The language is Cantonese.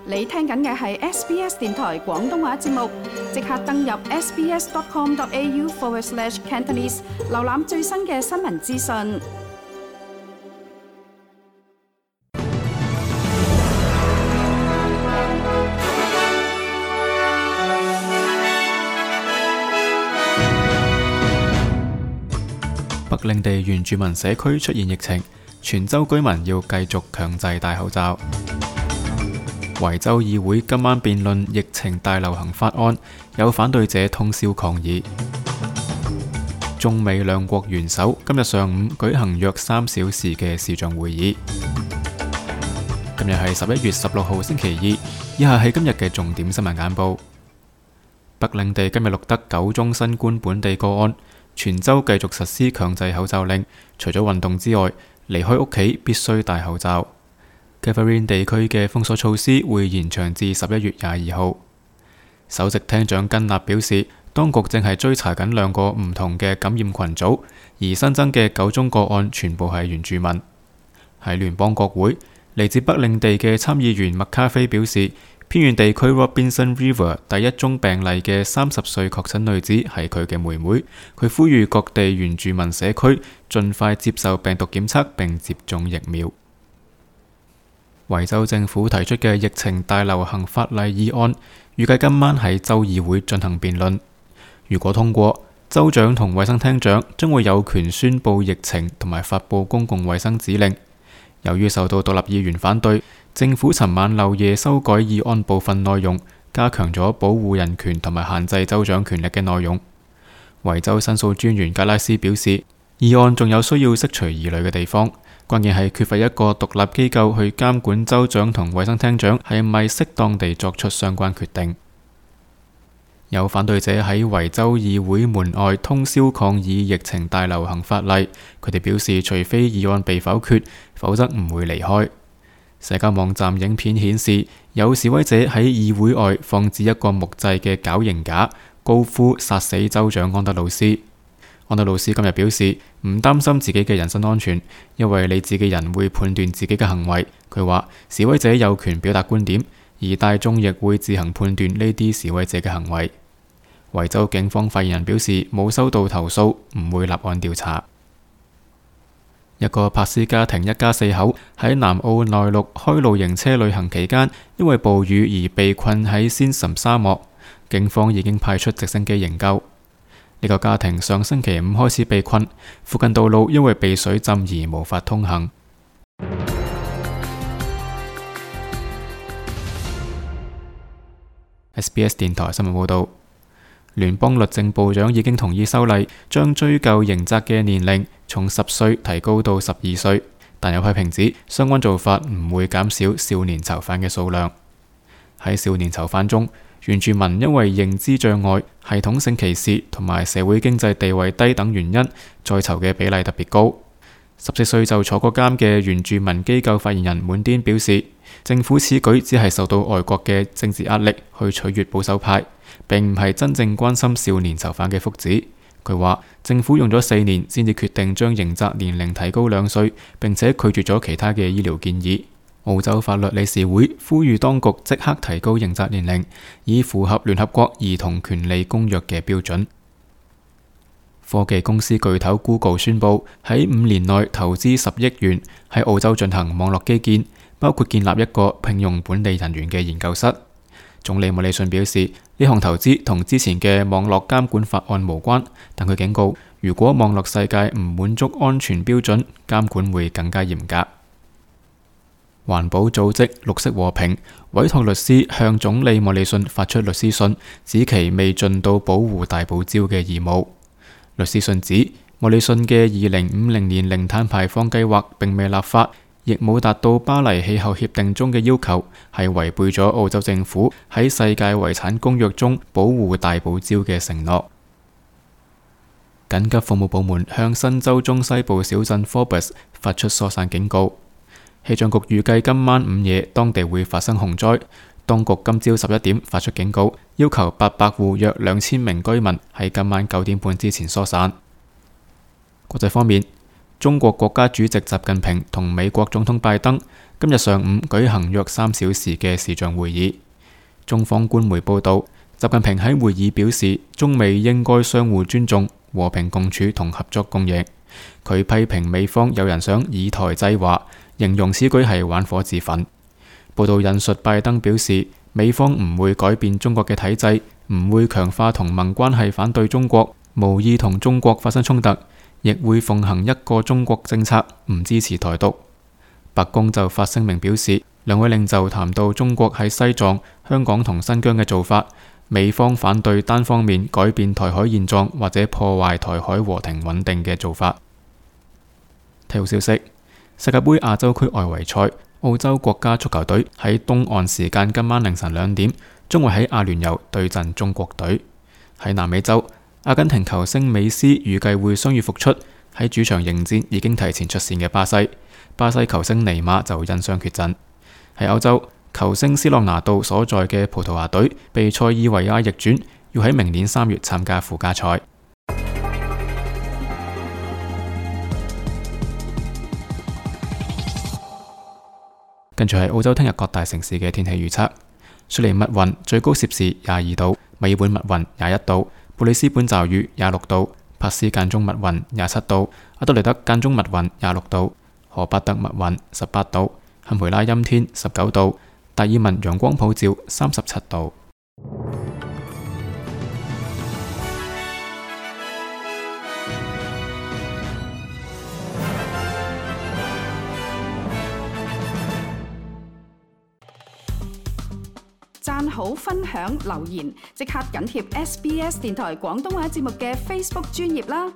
你聽緊嘅係 SBS 電台廣東話節目，即刻登入 sbs.com.au/Cantonese 瀏覽最新嘅新聞資訊。北領地原住民社區出現疫情，全州居民要繼續強制戴口罩。維州議會今晚辯論疫情大流行法案，有反對者通宵抗議。中美兩國元首今日上午舉行約3小時嘅視像會議。今日係11月16號星期二，以下係今日嘅重點新聞簡報。北領地今日錄得9宗新冠本地個案。全州繼續實施強制口罩令，除咗運動之外，離開屋企必須戴口罩。Kaffrine 地區嘅封鎖措施會延長至11月22號。首席廳長根納表示，當局正係追查緊2個唔同嘅感染群組，而新增嘅9宗個案全部係原住民。喺聯邦國會，嚟自北領地嘅參議員麥卡菲表示，偏遠地區 Robinson River 第1宗病例嘅30歲確診女子係佢嘅妹妹。佢呼籲各地原住民社區盡快接受病毒檢測並接種疫苗。維州政府提出嘅疫情大流行法例議案，預計今晚喺州議會進行辯論。如果通過，州長同衛生廳長將會有權宣布疫情同埋發佈公共衛生指令。由於受到獨立議員反對，政府尋晚漏夜修改議案部分內容，加強咗保護人權同埋限制州長權力嘅內容。維州申訴專員格拉斯表示，議案仲有需要釋除疑慮嘅地方，關鍵係缺乏一個獨立機構去監管州長同衛生廳長係咪適當地作出相關決定。有反對者喺維州議會門外通宵抗議疫情大流行法例，佢哋表示除非議案被否決，否則唔會離開。社交網站影片顯示，有示威者喺議會外放置一個木製嘅絞刑架，高呼殺死州長安德魯斯。安德魯斯今日表示唔擔心自己嘅人身安全，因為理智嘅人會判斷自己嘅行為。佢話示威者有權表達觀點，而大眾亦會自行判斷呢啲示威者嘅行為。維州警方發言人表示冇收到投訴，唔會立案調查。一個柏斯家庭一家4口喺南澳內陸開露營車旅行期間，因為暴雨而被困喺仙岑沙漠，警方已經派出直升機營救。呢個家庭上星期5開始被困，附近道路因為被水浸而無法通行。SBS 電台新聞報道。聯邦律政部長已經同意修例，將追究刑責嘅年齡從10歲提高到12歲，但有批評指相關做法唔會減少少年囚犯嘅數量。喺少年囚犯中，原住民因為認知障礙、系統性歧視同埋社會經濟地位低等原因，在囚嘅比例特別高。14歲就坐過監嘅原住民機構發言人滿顛表示，政府此舉只係受到外國嘅政治壓力去取悅保守派，並唔係真正關心少年囚犯嘅福祉。佢話政府用咗4年先至決定將刑責年齡提高2歲，並且拒絕咗其他嘅醫療建議。澳洲法律理事會呼籲當局即刻提高刑責年齡，以符合聯合國兒童權利公約嘅標準。科技公司巨頭 Google 宣布喺5年內投資10億元喺澳洲進行網絡基建，包括建立一個聘用本地人員嘅研究室。總理莫里遜表示，呢項投資同之前嘅網絡監管法案無關，但佢警告，如果網絡世界唔滿足安全標準，監管會更加嚴格。環保組織綠色和平委託律師向總理莫里遜發出律師信，指其未盡到保護大堡礁嘅義務。律師信指，莫里遜嘅2050年零碳排放計劃並未立法，亦冇達到巴黎氣候協定中嘅要求，係違背咗澳洲政府喺世界遺產公約中保護大堡礁嘅承諾。緊急服務部門向新州中西部小鎮 Forbes 發出疏散警告。氣象局預計今晚午夜當地會發生洪災。當局今朝11點發出警告，要求800戶約2000名居民喺今晚9點半之前疏散。國際方面，中國國家主席習近平同美國總統拜登今日上午舉行約3小時嘅視像會議。中方官媒報道，習近平喺會議表示，中美應該相互尊重、和平共處同合作共贏。佢批評美方有人想以台制華，形容此舉係玩火自焚。報道引述拜登表示，美方唔會改變中國嘅體制，唔會強化同盟關係反對中國，無意同中國發生衝突，亦會奉行一個中國政策，唔支持台獨。白宮就發聲明表示，兩位領袖談到中國喺西藏、香港同新疆嘅做法，美方反對單方面改變台海現狀或者破壞台海和平穩定嘅做法。體育消息：世界盃亞洲區外圍賽，澳洲國家足球隊喺東岸時間今晚凌晨2點，將會喺阿聯酋對陣中國隊。喺南美洲，阿根廷球星美斯預計會傷愈復出，喺主場迎戰已經提前出線嘅巴西。巴西球星尼馬就因傷缺陣。喺歐洲，球星斯洛拿度所在嘅葡萄牙隊被塞爾維亞逆轉，要喺明年3月參加附加賽。跟住係澳洲聽日各大城市嘅天氣預測：雪梨密雲最高攝氏22度，墨爾本密雲21度，布里斯本驟雨26度，珀斯間中密雲27度，阿德萊德間中密雲26度，荷伯特密雲18度，堪培拉陰天19度，達爾文陽光普照37度。讚好、分享、留言，即刻緊貼SBS 電台廣東話節目嘅 Facebook 專頁啦！